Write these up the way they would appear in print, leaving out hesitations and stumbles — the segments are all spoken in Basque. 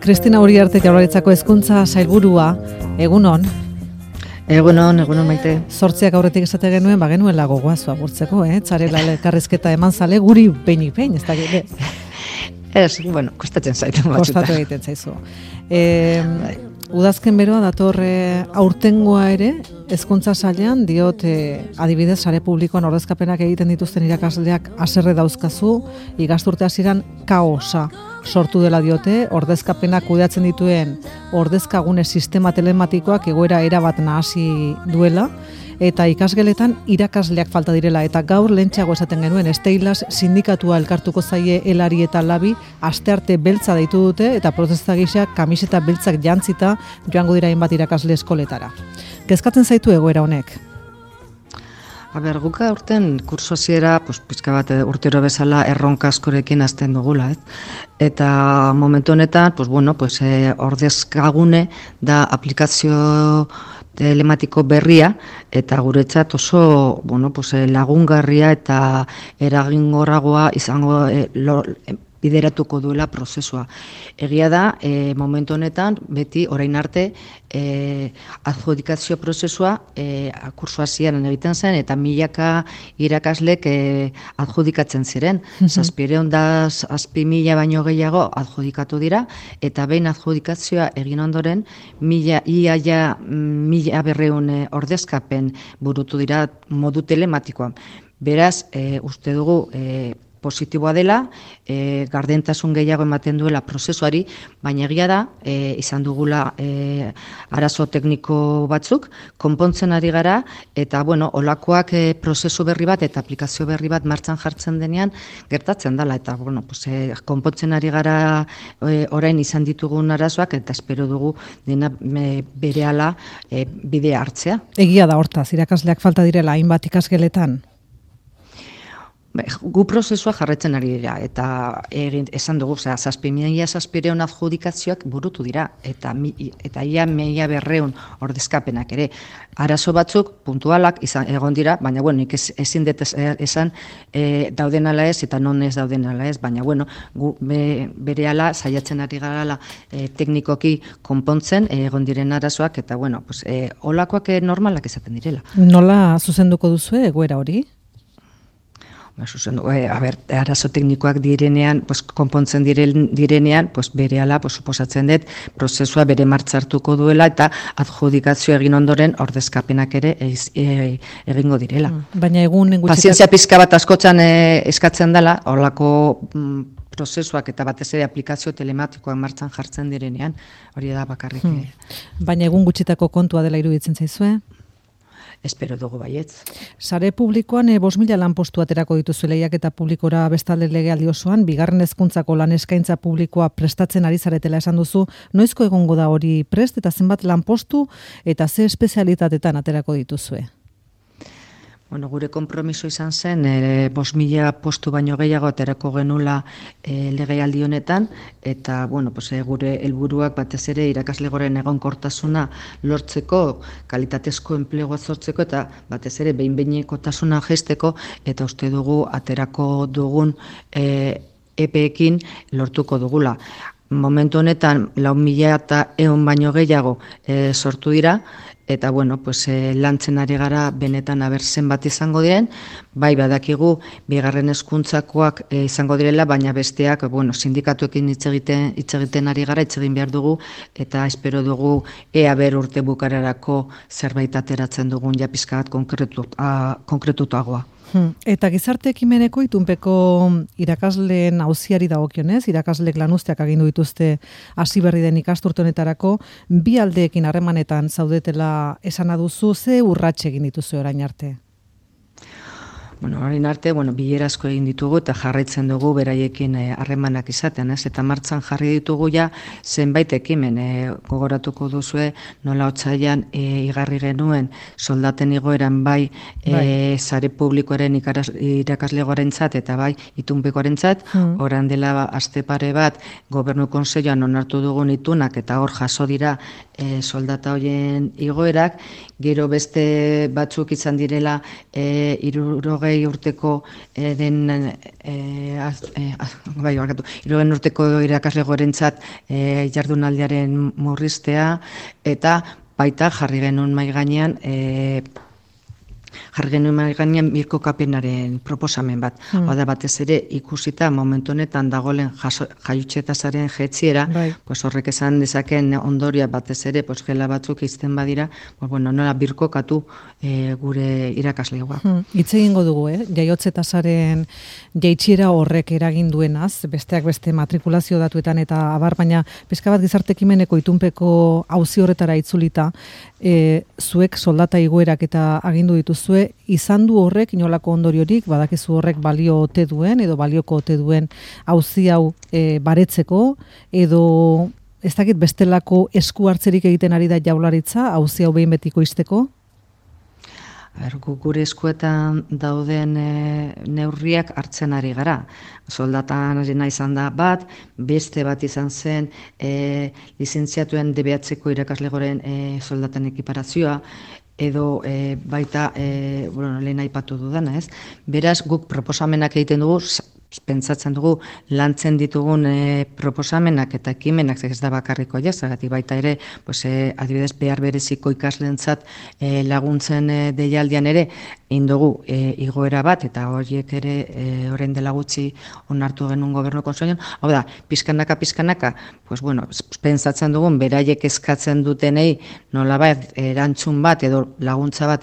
Kristina Uriarte Jaurlaritzako Hezkuntza Sailburua, egunon. Egunon Maite. 8 aurretik esate genuen, genuela gogoaz agurtzeko, Txarela elkarrizketa eman zale, guri behinik behin, ez da gire. Kostatzen zaitu batzuta. Kostatu egiten zaizu. Udazken beroa datorre aurtengoa ere, hezkuntza sailean diot adibidez sare publikoan ordezkapenak egiten dituzten irakasleak haserre dauzkazu, ikasturte hasieran kaosa sortu dela diote, ordezkapenak kudeatzen dituen ordezkagune sistema telematikoak egoera erabat nahasi duela, eta ikasgeletan irakasleak falta direla, eta gaur lehentxeago esaten genuen Steilas sindikatua elkartuko zaie Elari eta Labi astearte beltza deitu dute, eta protesta gisa kamiseta beltzak jantzita joango dira hainbat irakasle eskoletara. Kezkatzen zaitu egoera honek? Guka urten kurso hasiera, pizka bat urtero bezala erronka askorekin hasten dugula, Eta momentu honetan, ordezkagune da aplikazio telematiko berria, eta guretzat oso lagungarria eta eraginkorragoa izango bideratuko duela prozesua. Egia da, momentu honetan, beti orain arte, adjudikazio prozesua kurso hasieran egiten zen, eta milaka irakaslek adjudikatzen ziren. 700.000 baino gehiago adjudikatu dira, eta behin adjudikazioa egin ondoren, 1.200 ordezkapen burutu dira modu telematikoan. Beraz, uste dugu, positiboa dela, gardentasun gehiago ematen duela prozesuari, baina egia da, izan dugula arazo tekniko batzuk, konpontzen ari gara, eta olakoak prozesu berri bat eta aplikazio berri bat martxan jartzen denean, gertatzen dela, eta konpontzen ari gara orain izan ditugun arazoak, eta espero dugu dena berehala bidea hartzea. Egia da hortaz, irakasleak falta direla hainbat ikasgeletan? Gu prozesua jarretzen ari dira, eta esan dugu, 7.700 adjudikazioak burutu dira, eta ia 1.200 ordezkapenak ere. Arazo batzuk, puntualak egon dira, baina nik ezin dut esan dauden ala ez, eta non ez dauden ala ez, baina gu berehala saiatzen ari garala teknikoki konpontzen egon diren arazoak, eta olakoak normalak izaten direla. Nola zuzenduko duzue egoera hori? Arazo teknikoak direnean, konpontzen direnean, berehala, suposatzen dut, prozesua bere martxartuko duela, eta adjudikazio egin ondoren ordezkapenak ere egingo direla. Baina pazientzia pizka bat askotan eskatzen dela, horlako prozesuak eta batez ere aplikazio telematikoak martxan jartzen direnean, hori da bakarrik. Baina egun gutxitako kontua dela iruditzen zaizue? Espero dugu baietz. Sare publikoan 5.000 lanpostu aterako dituzu lehiaketa publikora bestalde legealdi osoan, bigarren hezkuntzako lan eskaintza publikoa prestatzen ari zaretela esan duzu, noizko egongo da hori prest eta zenbat lanpostu eta ze espezialitatetan aterako dituzue? Gure konpromiso izan zen, 5.000 postu baino gehiago aterako genula legealdi honetan, eta gure helburuak batez ere irakaslegoren egonkortasuna lortzeko, kalitatezko enplegua sortzeko, eta batez ere behin-behinekotasuna jaisteko, eta uste dugu aterako dugun epeekin lortuko dugula. Momentu honetan 4.100 baino gehiago sortu dira, eta lantzen ari gara benetan zenbat izango diren, bai badakigu bigarren hezkuntzakoak izango direla, baina besteak sindikatuekin hitz egiten ari gara, hitz egin behar dugu, eta espero dugu ea urte bukararako zerbait ateratzen dugun ja pizka bat konkretutagoa. Eta gizarte ekimeneko itunpeko irakasleen auziari dagokionez, irakaslek lanuzteak agindu dituzte hasi berri den ikasturte honetarako, bi aldeekin harremanetan zaudetela esana duzu, ze urrats egin dituzu orain arte? Orain arte, bilera asko egin ditugu eta jarraitzen dugu beraiekin harremanak izaten, eta martxan jarri ditugu ja zenbait ekimen, gogoratuko duzue nola otsailean igarri genuen soldaten igoeran bai sare publikoaren irakaslegoarentzat eta bai itunpekoarentzat, orain dela aste pare bat gobernu kontseiluan onartu dugun itunak eta hor jaso dira soldata horien igoerak, gero beste batzuk izan direla 60 hirurogei urteko hirurogei urteko irakasle gorentzat jardunaldiaren murriztea, eta baita jarri genuen mahai gainean birkokapenaren proposamen bat. Hau da, batez ere ikusita momentu honetan dagoen jaiotze-tasaren jetziera, pues horrek esan dezaken ondoria batez ere, pues gela batzuk izten badira, pues bueno, nola birkokatu gure irakaslegoak. Hitz egingo dugu, jaiotze-tasaren jaitsiera horrek eragin duenaz, besteak beste matrikulazio datuetan eta abar, baina pixka bat gizarte ekimeneko itunpeko auzi horretara itzulita, zuek soldata igoerak eta agindu dituzue, izan du horrek inolako ondoriorik, badakizu horrek balio ote duen edo balioko ote duen auzi hau baretzeko, edo ez dakit bestelako esku hartzerik egiten ari da Jaurlaritza auzi hau behin betiko izteko? Gure eskuetan dauden neurriak hartzen ari gara. Soldatan izan da bat, beste bat izan zen lizentziatuen DBH-ko irakaslegoren soldatan ekiparazioa, edo baita lehen aipatu dudana, ez? Beraz, guk proposamenak egiten dugu, pentsatzen dugu lantzen ditugun proposamenak eta ekimenak, ez da bakarriko zergatik baita ere, adibidez behar bereziko ikasleentzat laguntzen deialdian ere, indogu igoera bat, eta horiek ere orain dela gutxi onartu genuen gobernu kontseiluan. Hau da, pizkanaka, pentsatzen dugun beraiek eskatzen dutenei nolabait erantzun bat edo laguntza bat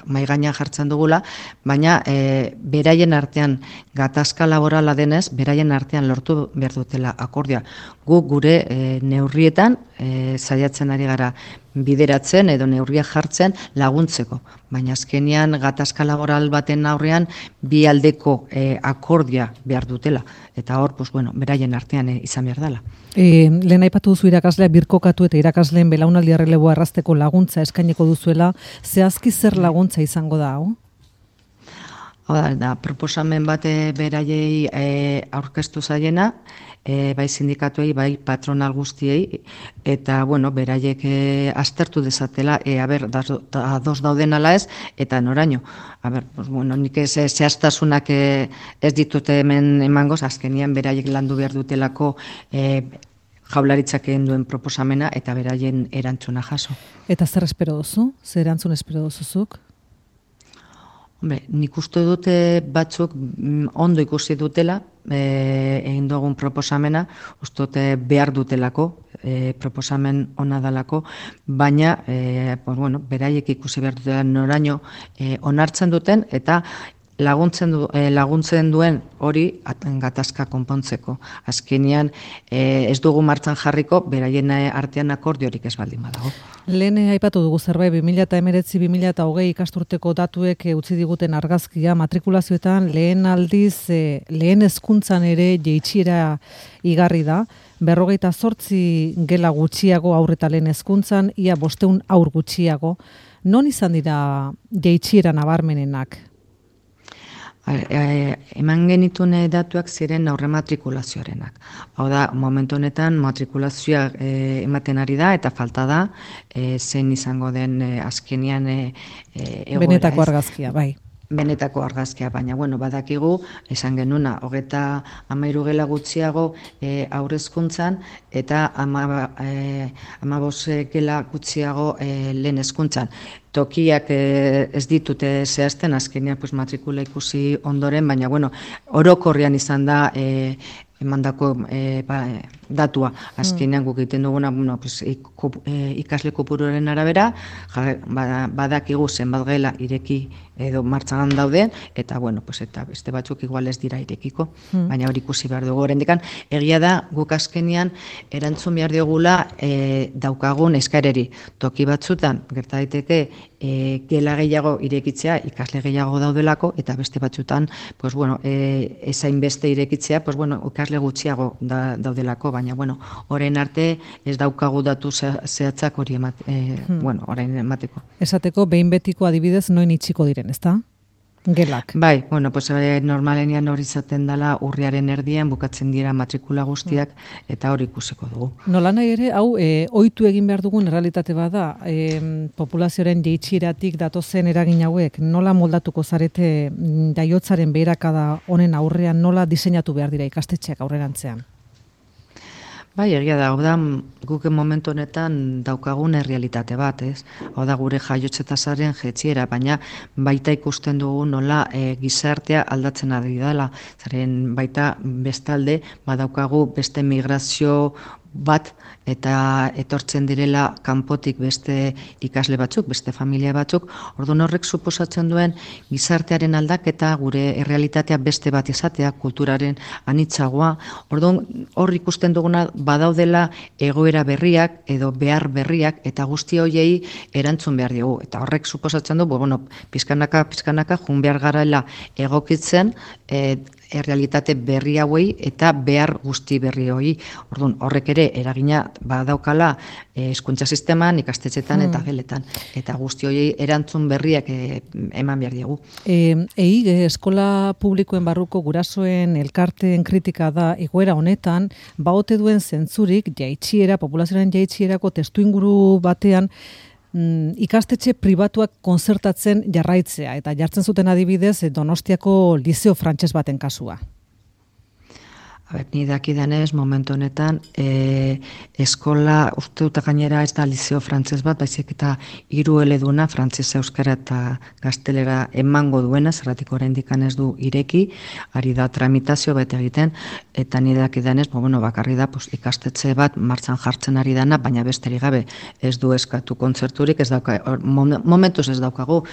mahai gainean jartzen dugula, baina beraien artean gatazka laborala denez, beraien artean lortu behar dutela akordioa. Guk gure neurrietan saiatzen ari gara bideratzen edo neurriak jartzen laguntzeko. Baina azkenean gatazka laboral baten aurrean bi aldeko akordioa behar dutela. Eta hor, beraien artean izan behar dela. Lehen aipatu duzu irakaslea birkokatu eta irakasleen belaunaldi erreleboa errazteko laguntza eskaineko duzuela, zehazki zer laguntza izango da, hau? Hau da, proposamen bat beraiei aurkeztu zaiena, bai sindikatuei, bai patronal guztiei, eta, beraiek aztertu dezatela, ados dauden ala ez, eta noraino. Nik zehaztasunak ez ditute hemen emangoz, azkenian beraiek landu behar dutelako Jaurlaritzak egin duen proposamena, eta beraien erantzuna jaso. Eta zer espero duzu? Zer erantzun espero duzuzuk? Nik uste dute batzuk ondo ikusi dutela, egin dugun proposamena, uste dute behar dutelako, proposamen ona dalako, baina beraiek ikusi behar dutela noraino onartzen duten, eta laguntzen duen hori gatazka konpontzeko. Azkenean ez dugu martxan jarriko, beraien artean akordiorik ez baldin badago. Lehen aipatu dugu zerbait 2019-2020 ikasturteko datuek utzi diguten argazkia, matrikulazioetan lehen aldiz, lehen hezkuntzan ere jaitsiera igarri da, 58 gela gutxiago haur eta lehen hezkuntzan, ia 500 haur gutxiago. Non izan dira jaitsiera nabarmenenak? Eman genituen datuak ziren aurre matrikulazioarenak. Hau da, momentu honetan matrikulazioa ematen ari da eta falta da, zein izango den azkenean egoera. Benetako argazkia, bai. Benetako argazkia, baina badakigu, esan genuna, 33 gela gutxiago haurrezkuntzan eta 15 gela gutxiago lehen hezkuntzan. Tokiak ez ditute zehazten, azkenean matrikula ikusi ondoren, baina orokorrean izan da emandako datua. Azkenean guk egiten duguna ikasle kopuruaren arabera, badakigu zenbat gela ireki edo martxan dauden, eta eta beste batzuk igual ez dira irekiko, baina hori ikusi behar dugu oraindik. Egia da, guk azkenean erantzun behar diogula daukagun eskaereri. Toki batzutan, gerta daiteke, gela gehiago irekitzea, ikasle gehiago daudelako, eta beste batzutan, ezain beste irekitzea, ikasle gutxiago daudelako, baina, orain arte ez daukagu datu zehatzak hori orain emateko. Esateko, behin betiko adibidez, noin itxiko diren, ezta? gelak. Bai, bueno, pues normalenian hori izaten dela urriaren erdian bukatzen dira matrikula guztiak eta hori ikusiko dugu. Nola nahi ere, hau, ohitu egin behar dugun errealitate bada, populazioaren jaitsieratik datozen eragin hauek, nola moldatuko zarete jaiotzaren beherakada honen aurrean, nola diseinatu behar dira ikastetxeak aurrerantzean? Bai, egia da, hau da, guk momentu honetan daukagun errealitate bat, ez? Hau da, gure jaiotze tasaren jaitsiera, baina baita ikusten dugu nola gizartea aldatzen ari dela. Zaren baita bestalde, badaukagu beste migrazio bat eta etortzen direla kanpotik beste ikasle batzuk, beste familia batzuk, orduan horrek suposatzen duen gizartearen aldaketa, gure errealitatea beste bat izatea, kulturaren anitzagoa, orduan hor ikusten duguna badaudela egoera berriak edo behar berriak eta guzti horiei erantzun behar diogu. Eta horrek suposatzen du, bueno, pizkanaka jun behar garaela egokitzen, errealitate berri hauei eta behar guzti berri hori. Orduan, horrek ere eragina badaukala hezkuntza sisteman, ikastetxetan eta geletan. Eta guzti hori erantzun berriak eman behar diegu. Eskola publikoen barruko gurasoen elkarteen kritika da egoera honetan, baote duen zentzurik populazioaren jaitsierako testuinguru batean, ikastetxe pribatuak konzertatzen jarraitzea, eta jartzen zuten adibidez Donostiako Liceo Frantses baten kasua. Ni dakidanez, momentu honetan, eskola, uste dut gainera ez da Liceo Frantses bat, baizik eta 3 eleduna, frantzesa, euskara eta gaztelera emango duena, zerratik oraindik ez du ireki, ari da tramitazio bat egiten, eta ni dakidanez, bakarri da ikastetxe bat martxan jartzen ari dana, baina besterik gabe ez du eskatu kontzerturik, momentuz ez daukagu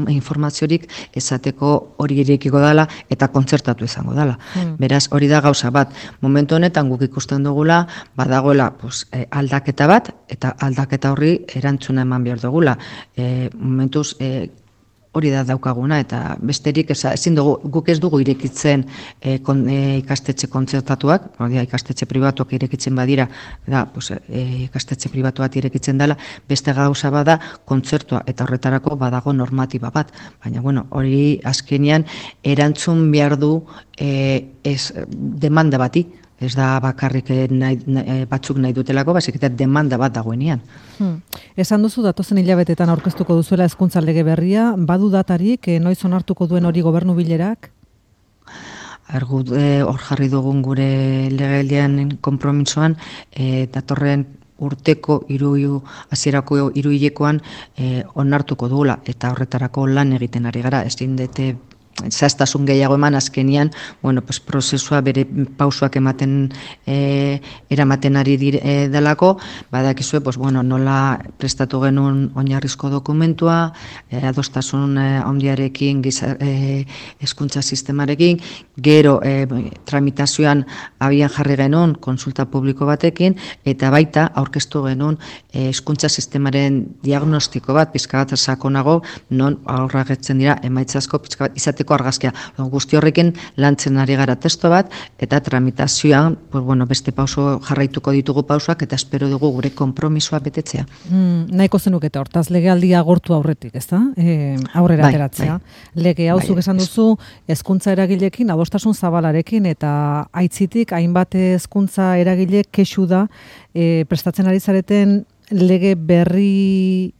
informaziorik esateko hori irekiko dela eta kontzertatu izango dela. Beraz, hori da gauza bat. Momentu honetan guk ikusten dugula, badagoela aldaketa bat, eta aldaketa horri erantzuna eman behar dugula. Momentuz hori da daukaguna, eta besterik ezin dugu, guk ez dugu irekitzen ikastetxe kontzertatuak, ikastetxe pribatuak irekitzen badira, ikastetxe pribatu bat irekitzen dela, beste gauza bada kontzertua, eta horretarako badago normatiba bat. Baina, hori azkenean erantzun behar du demanda bati. Ez da bakarrik batzuk nahi dutelako, baizik eta demanda bat dagoenean. Esan duzu datozen hilabetetan aurkeztuko duzuela hezkuntza lege berria, badu datarik, noiz onartuko duen hori gobernu bilerak? Hor jarri dugun gure legealdian konpromisoan, datorren urteko hasierako hiruhilekoan onartuko dugula, eta horretarako lan egiten ari gara, ezin dute zehaztasun gehiago eman azkenian, prozesua bere pausuak eramaten ari delako, badakizue, nola prestatu genuen oinarrizko dokumentua, adostasun handiarekin, hezkuntza sistemarekin, gero tramitazioan abian jarri genuen konsulta publiko batekin, eta baita aurkeztu genuen hezkuntza sistemaren diagnostiko bat, pizka bat sakonago, non aurragetzen dira emaitzazko pizka bat izateko argazkia. Guzti horrekin lantzen ari gara testo bat, eta tramitazioan beste pauso jarraituko ditugu pausoak, eta espero dugu gure konpromisoa betetzea. Nahiko zenuketa hortaz, legealdia agortu aurretik, ez da? Aurrera ateratzea. Lege hau zuk esan duzu, hezkuntza eragilekin, adostasun zabalarekin, eta aitzitik, hainbat hezkuntza eragile kexu da, prestatzen ari zareten lege berri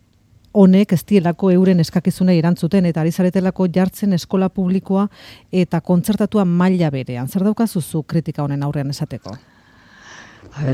honek ez dielako euren eskakizunei erantzuten, eta ari zaretelako jartzen eskola publikoa eta kontzertatua maila berean. Zer daukazuzu kritika honen aurrean esateko?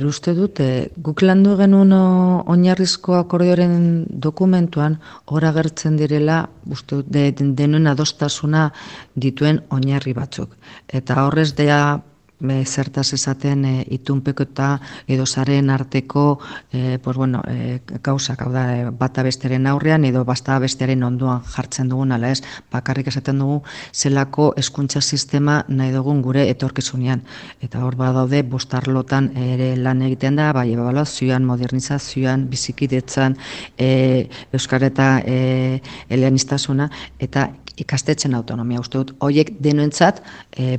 Uste dut, guk landu genuen oinarrizko akordioaren dokumentuan hor agertzen direla, uste dut, denuen adostasuna dituen oinarri batzuk. Eta horrez dea zertaz esaten itunpeko eta edo zaren arteko gauzak, hau da, bata besteren aurrean edo basta besteren onduan jartzen dugun, ala ez, bakarrik esaten dugu zelako hezkuntza sistema nahi dugun gure etorkizunean. Eta hor badaude bostarlotan ere lan egiten da, bai ebaluazioan, modernizazioan, bizikidetzan, euskara eta eleaniztasuna, eta ikastetxen autonomia. Uste dut, horiek denoentzat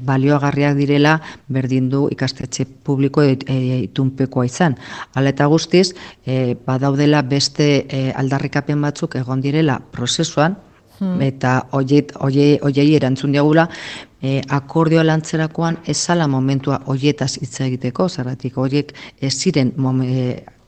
balioagarriak direla berdin du ikastetxe publiko itunpekoa izan. Hala eta guztiz, badaudela beste aldarrikapen batzuk egon direla prozesuan, eta hoiei erantzun diagula, akordioa lantzerakoan ezala momentua hoietaz hitz egiteko, zergatik horiek ez ziren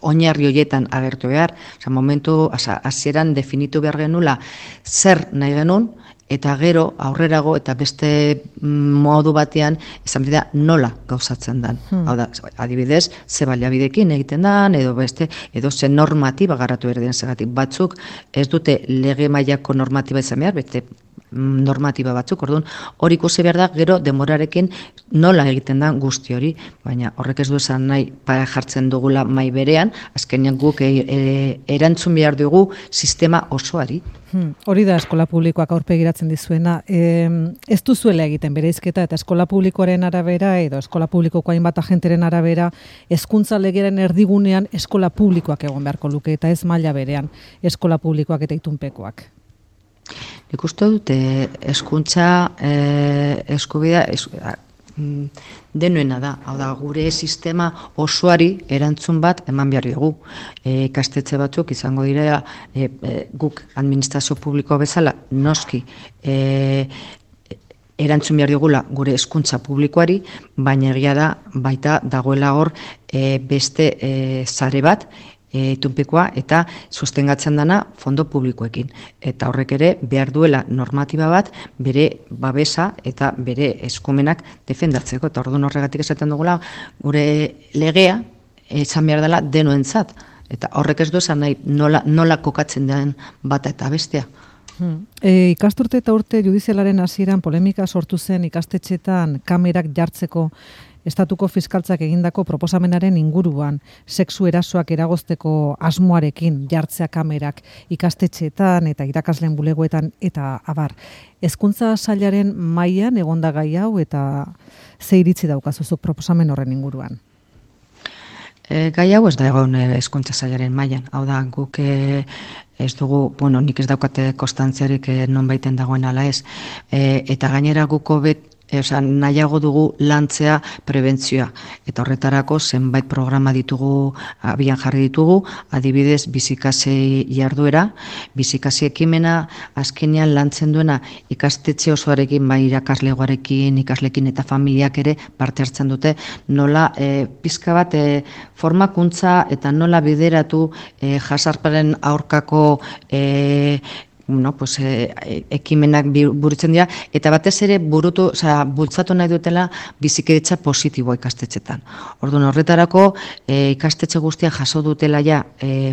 oinarri horietan agertu behar, momentu hasieran definitu behar genula zer nahi genuen, eta gero aurrerago eta beste modu batean esan bidea nola gauzatzen dan. Hau da, adibidez, ze baliabidekin egiten dan, edo ze normatiba garatu erden zegatik. Batzuk ez dute lege mailako normatiba izan behar, beste normatiba batzuk, orduan hori ikusi behar da, gero demorarekin nola egiten da guzti hori, baina horrek ez du esan nahi jartzen dugula mai berean, azkenean guk erantzun behar dugu sistema osoari. Hori da eskola publikoak aurpegiratzen dizuena. Ez duzuela egiten bereizketa eta eskola publikoaren arabera edo eskola publikoko hainbat agenteren arabera hezkuntza legearen erdigunean eskola publikoak egon beharko luke eta ez maila berean eskola publikoak eta itunpekoak. Nik uste dute hezkuntza eskubidea denuena da, hau da, gure sistema osoari erantzun bat eman behar dugu. Ikastetxe batzuk izango dira guk administrazio publiko bezala noski erantzun behar dugula gure hezkuntza publikoari, baina egia da baita dagoela hor beste sare bat itunpekoa eta sostengatzen dana fondo publikoekin. Eta horrek ere behar duela normatiba bat bere babesa eta bere eskumenak defendatzeko. Eta orduan horregatik esaten dugula gure legea izan behar dela denoentzat. Eta horrek ez du esan nahi nola kokatzen den bata eta bestea. Ikasturte eta urte judizialaren hasieran polemika sortu zen ikastetxetan kamerak jartzeko Estatuko fiskaltzak egindako proposamenaren inguruan, sexu erasoak eragozteko asmoarekin jartzea kamerak ikastetxeetan eta irakasleen bulegoetan eta abar. Hezkuntza sailaren mailan egonda gai hau eta ze iritzi daukazuzuk proposamen horren inguruan? Gai hau ez da egon hezkuntza sailaren mailan. Hau da, guk ez dugu, nik ez daukate konstantziarik non baiten dagoen ala ez. Eta gainera guko nahiago dugu lantzea prebentzioa. Eta horretarako zenbait programa ditugu, abian jarri ditugu, adibidez bizikasi jarduera, bizikasi ekimena azkenean lantzen duena ikastetxe osoarekin, bai irakaslegoarekin, ikaslekin eta familiak ere parte hartzen dute, nola pizka bat formakuntza eta nola bideratu jazarparen aurkako ekimenak burutzen dira, eta batez ere bultzatu nahi dutela bizikidetza positiboa ikastetxetan. Orduan horretarako ikastetxe guztiak jaso dutela ja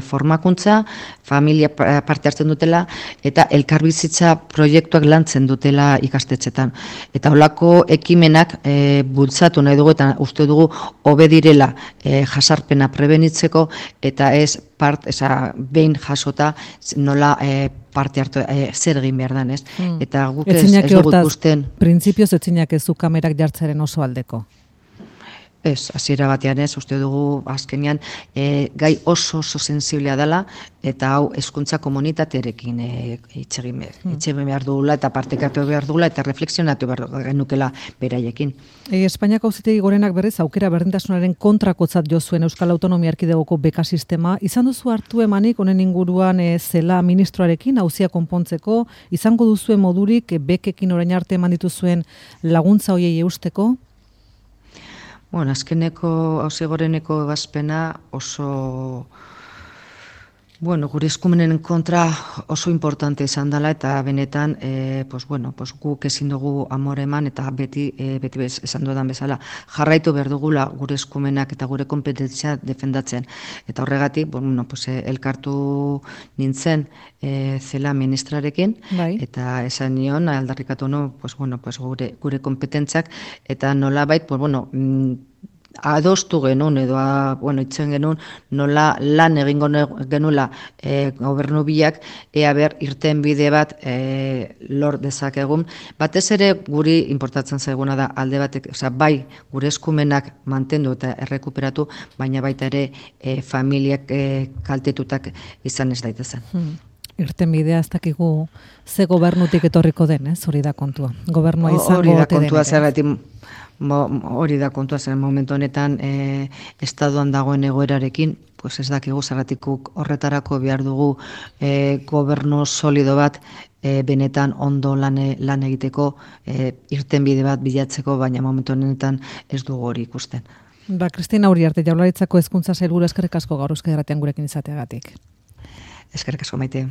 formakuntza, familia parte hartzen dutela, eta elkarbizitza proiektuak lantzen dutela ikastetxetan. Eta holako ekimenak bultzatu nahi dugu, eta uste dugu hobe direla jazarpena prebenitzeko, eta ez behin jasota nola parte hartu zer egin behar dan, ez? Eta guk ez dugu ikusten. Printzipioz etzinak ez du kamerak jartzaren oso aldeko? Ez, hasiera batean ez, uste dugu azkenean gai oso sensiblea dela, eta hau hezkuntza komunitatearekin hitz egin behar dugula, eta partekatu behar dugula, eta reflexionatu behar genukela beraiekin. Espainiako Auzitegi Gorenak berriz aukera berdintasunaren kontrakotzat jo zuen Euskal Autonomia Erkidegoko beka sistema. Izan duzu hartu emanik honen inguruan zela ministroarekin auzia konpontzeko, izango duzuen modurik bekekin orain arte eman dituzuen laguntza hoiei eusteko? Azkeneko Auzitegi Goreneko ebazpena oso gure eskumenen kontra oso importante izan dela, eta benetan guk ezin dugu amore eman, eta beti esan dudan bezala jarraitu behar dugula gure eskumenak eta gure kompetentzia defendatzen. Eta horregatik elkartu nintzen zela ministrarekin, eta esan nion aldarrikatu gure kompetentzak, eta nolabait adostu genuen edo itzen genuen nola lan egingo genuela gobernu biak ea ber irten bide bat lor dezakegun. Batez ere guri importatzen zaiguna da alde batek, bai gure eskumenak mantendu eta errekuperatu, baina baita ere familiak kaltetutak izan ez daitezen. Irten bidea ez dakigu ze gobernutik etorriko den, hori da kontua. Gobernua izango ote den. Hori da kontua, zergatik Hori da kontua zen momentu honetan estaduan dagoen egoerarekin, pues ez dakigu zergatikuk horretarako behar dugu gobernu solido bat benetan ondo lan egiteko irtenbide bat bilatzeko, baina momentu honetan ez dugu hori ikusten. Kristina Uriarte, Jaurlaritzako Hezkuntza Sailburu, eskerrik asko gaur Euskadi Irratian gurekin izateagatik. Eskerrik asko, Maite.